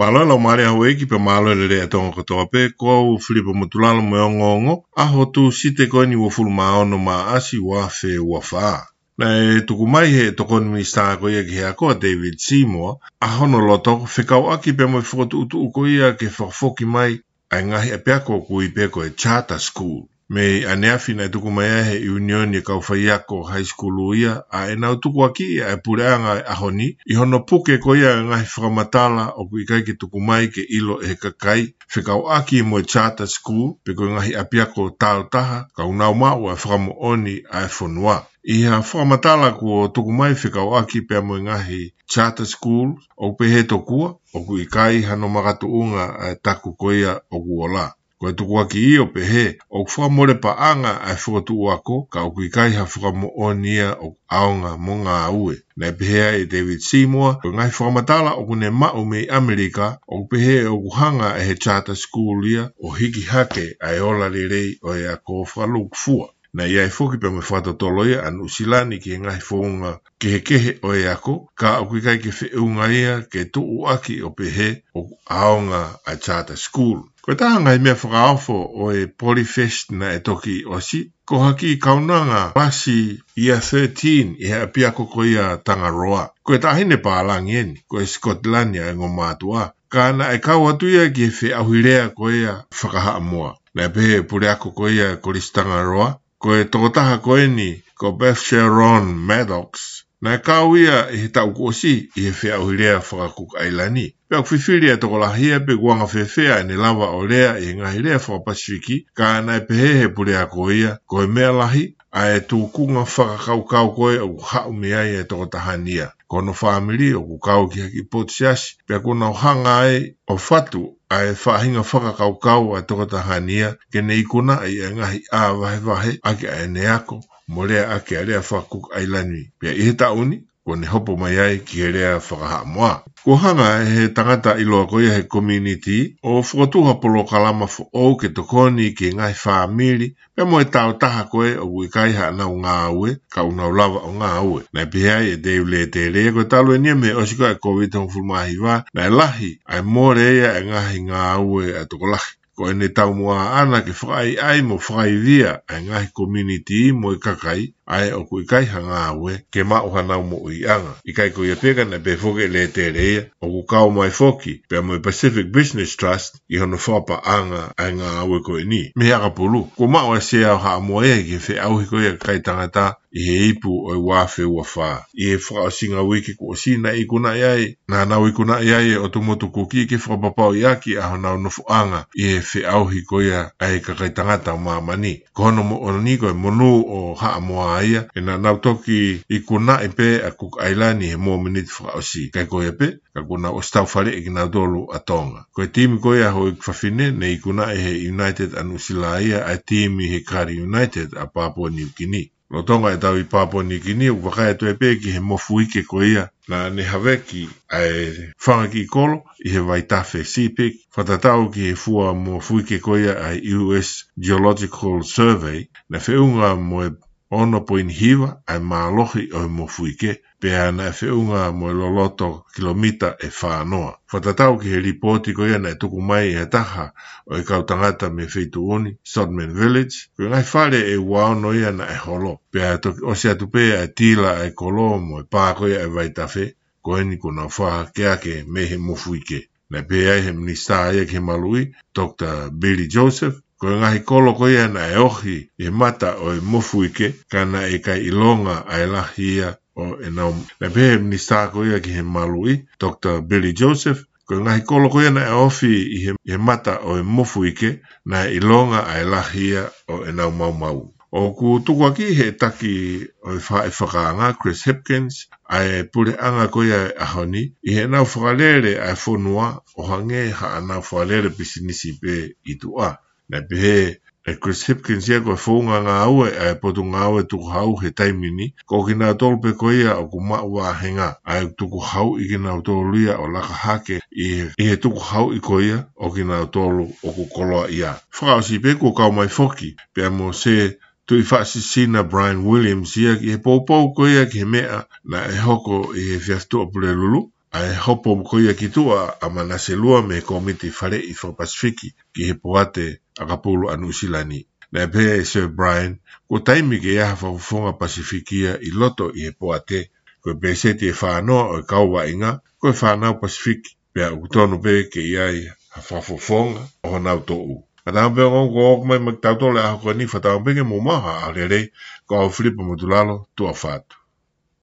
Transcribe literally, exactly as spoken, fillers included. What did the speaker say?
Mālō e laumālie ʻa houʻeiki pea mālō e lelei ʻa Tonga kotoa pē, ko au Filipa Motulalo mo e ongoongo, ʻaho Tūsite ko eni uofulu mā ono Maʻasi ua afe ua fā. Naʻe tuku mai he tokoni minisitā ko ia ki he ako ʻa David Seymour, ʻa hono loto fekauʻaki pea mo e fokotuʻutuʻu ko ia ke fakafoki mai ʻa e ngaahi ʻapiako ʻoku ui pē ko e charter school. Mei ʻaneafi naʻe tuku mai ai he ʻiunioni e kau faiako high school ia, ʻa ʻenau tukuakiʻi ʻa e puleʻanga ʻi he ʻaho ni, ʻi hono puke ko ia e ngaahi fakamatala ʻoku ʻikai ke tuku mai ke ʻilo ʻe he kakai, fekauʻaki mo e charter school, pe ko e ngaahi ʻapiako tāutaha, ka ʻoku nau maʻu ʻa e fakamoʻoni ʻa e fonua. ʻI ha fakamatala kuo tuku mai fekauʻaki pea mo e ngaahi charter school, ʻoku pehē tokua, ʻoku ʻikai hano makatuʻunga ʻa e taku ko ia ʻoku ola. Ko e tukuakiʻi ʻo pehē, ʻoku fakamole paʻanga ʻa e fokotuʻu ako, ka ʻoku ʻikai ha fakamoʻoni ia ʻoku ʻaonga mo ngāue. Naʻe pehē ai ʻe David Seymour, ko e ngaahi fakamatala ʻoku ne maʻu mei ʻAmelika, ʻoku pehē ʻoku hanga ʻe he charter school ia ʻo hiki hake ʻa e ola lelei ʻo e ako fakalūkufua. Naʻe ʻi ai foki pea mo e fakatotolo ia ʻa Nuʻusila ni ki he ngaahi founga kehekehe ʻo e ako, ka ʻoku ʻikai ke feʻunga ia ke tuʻuaki ʻo pehē ʻoku ʻaonga ʻa e charter school. Ko e taha ngaahi meʻa fakaofo ʻo e Polyfest naʻe toki ʻosi, ko ha kiʻi kaunanga lasi ia thirteen ʻi he ʻapiako ko ia Tangaroa. Ko e taʻahine pālangi eni, ko e Sikotilani ʻa e ongo mātuʻa. Ka naʻe kau atu ia ki he feʻauhi lea ko ia fakahaʻamoa. Naʻe pehē ʻe he puleako ko ia Kolisi Tangaroa, ko e tokotaha ko eni, ko Beth Sharon Maddox, naʻe kau ia ʻi he taʻu kuo ʻosi ʻi he feʻauhi lea faka-Cook Island. Pea ʻoku fifili ʻa e tokolahi ia pe ʻoku anga fēfē ʻene lava ʻo lea ʻi he ngaahi lea faka-Pasifiki, ka naʻe pehē ʻe he puleako ia, ko e meʻa lahi ʻa e tūkunga fakakaukau ko ē ʻoku haʻu mei ai e tokotaha ni ia. Ko hono fāmili ʻoku kau ki ha kiʻi potu siasi, pea kuo nau hanga ai ʻo fatu ʻa e faʻahinga fakakaukau ʻa e tokotaha ni ia, ke ne ikunaʻi ʻa e ngaahi ʻā vahevahe ʻaki ʻa ʻene ako, mo lea ʻaki ʻa e lea faka-Cook Island. Pea ʻi he taʻu ni, kuo ne hopo mai ai ki he lea fakahaʻamoa. Kuo hanga ʻe he tangata ʻiloa ko ia he community ʻo fokotuʻu ha polokalama foʻou ke tokoni ki he ngaahi fāmili, pea mo e tāutaha ko ē ʻoku ʻikai haʻanau ngāue, ka ʻoku nau lava ʻo ngāue. Naʻe pehē ai ʻe Dave Lētēlē, ko e talu eni ia mei he ʻosi ko ē ʻa e Covid hongofulu mā hiva, naʻe lahi ʻa e mole ia ʻa e ngaahi ngāue ʻa e tokolahi. Ko ʻene taumuʻa ʻaʻana ke fakaʻaiʻai mo fakaivia ʻa e ngaahi community mo e kakai, ʻa ē ʻoku ʻikai ha ngāue, ke maʻu hanau moʻuiʻanga. ʻIkai ko ia pē ka naʻe pehē foki ʻe Lētēlē ia, ʻoku kau mai foki pea mo e Pacific Business Trust ʻi hono fakapaʻanga ʻa e ngāue ko eni. Mei he ʻakapulu, kuo maʻu ʻa e Sea ʻo Haʻamoa ia ki he feʻauhi ko ia ʻa e kakai tangata ʻi he ipu ʻo e ua afe ua fā. ʻI he fakaʻosinga uike kuo ʻosi naʻe ikunaʻi ai, naʻa nau ikunaʻi ai e ʻOtu Motu Kuki ke fakapapauʻi ʻaki ʻa honau nofoʻanga ʻi he feʻauhi ko ia ʻa e kakai tangata ʻo māmani. Ko hono moʻoni ko e monū ʻo Haʻamoa ia, he naʻa nau toki ikunaʻi pē ʻa Cook Island ʻi he mōmeniti fakaʻosi. ʻIkai ko ia pē, ka kuo nau ʻosi taufaleʻi kinautolu ʻa Tonga. Ko e timi ko ia houʻeiki fafine, ne ikunaʻi ʻe he United ʻa Nuʻusila ia ʻa e timi he Kali United ʻa Papua New Guinea. Lolotonga ʻetau ʻi Papua New Guinea, ʻoku vakai atu ai pē ki he mofuike ko ia naʻa ne haveki ʻa e fanga kiʻi kolo ʻi he vaitafe Sepik, fakatatau ki he fua mofuike ko ia ʻa e U S Geological Survey, naʻe feʻunga mo e ono poini hiva ʻa e mālohi ʻo e mofuike, pea naʻe feʻunga mo e loloto kilomita ʻe fā noa. Fakatatau ki he lipooti ko ia naʻe tuku mai ʻe ha taha ʻo e kau tangata mei he feituʻu ni, Sodman Village, ko e ngaahi fale ʻe ua ono ia naʻe holo. Pea toki ʻosi atu pē ʻa e tila ʻa e kolo mo e pā ko ia ʻa e vaitafe, ko eni kuo nau fakahake mei he mofuike. Naʻe pehē ai ʻe he minisitā ia ki he maluʻi, Doctor Billy Joseph, ko e ngaahi kolo ko ia naʻe ohi ʻi he mata ʻo e mofuike, ka naʻe ʻikai ʻilonga ʻa e lahi ia ʻo ʻenau. Naʻe pehē ʻe he minisitā ko ia ki he maluʻi, Doctor Billy Joseph, ko e ngaahi kolo ko ia naʻe ohi ʻi he, ʻi he mata ʻo e mofuike, naʻe ʻilonga ʻa e lahi ia ʻo ʻenau maumau. ʻOku tukuakiʻi ʻe he taki ʻo e faʻē fakaanga, Chris Hipkins, ʻa e puleʻanga ko ia ʻo e ʻaho ni, ʻi heʻenau fakalele ʻa e fonua, ʻo hangē haʻanau fakalele pisinisi pē ʻi tuʻa. Naʻe pehē ʻe Chris Hipkins ia ko e founga ngāue ʻa e Potungāue Tukuhau he taimi ni, ko kinautolu pē ko ia ʻoku maʻu vāhenga, ʻa e tukuhauʻi kinautolu ia ʻo laka hake ʻi he, ʻi he tukuhauʻi ko ia ʻo kinautolu ʻoku koloaʻia. Fakaʻosi pē kuo kau mai foki, pea mo Sir Tuʻifaʻasisina Brian Williams ia ki he poupou ko ia ki he meʻa naʻe hoko ʻi he efiafi Tuʻapulelulu, ʻa e hopo ko ia ki tuʻa ʻa Manase Lua mei he Kōmiti Faleʻi Fakapasifiki ki he Poate ʻAkapulu ʻa Nuʻusila ni. Naʻe pehē ʻe Sir Brian, kuo taimi ke ʻi ai ha fakafofonga Pasifiki ia ʻi loto ʻi he poate. Ko e peseti ʻe fānoa ʻo e kau vaʻinga ko e fānau Pasifiki, pea ʻoku tonu pē ke ʻi ai ha fakafofonga ʻo honau toʻu. Ka tau pē ongo ko ʻoku mai mai tautolu e ʻaho ko eni, fakatau pē ke mou maʻu ha ʻaho lelei. Ko au Filipa Motulalo, tuʻa ʻofa atu.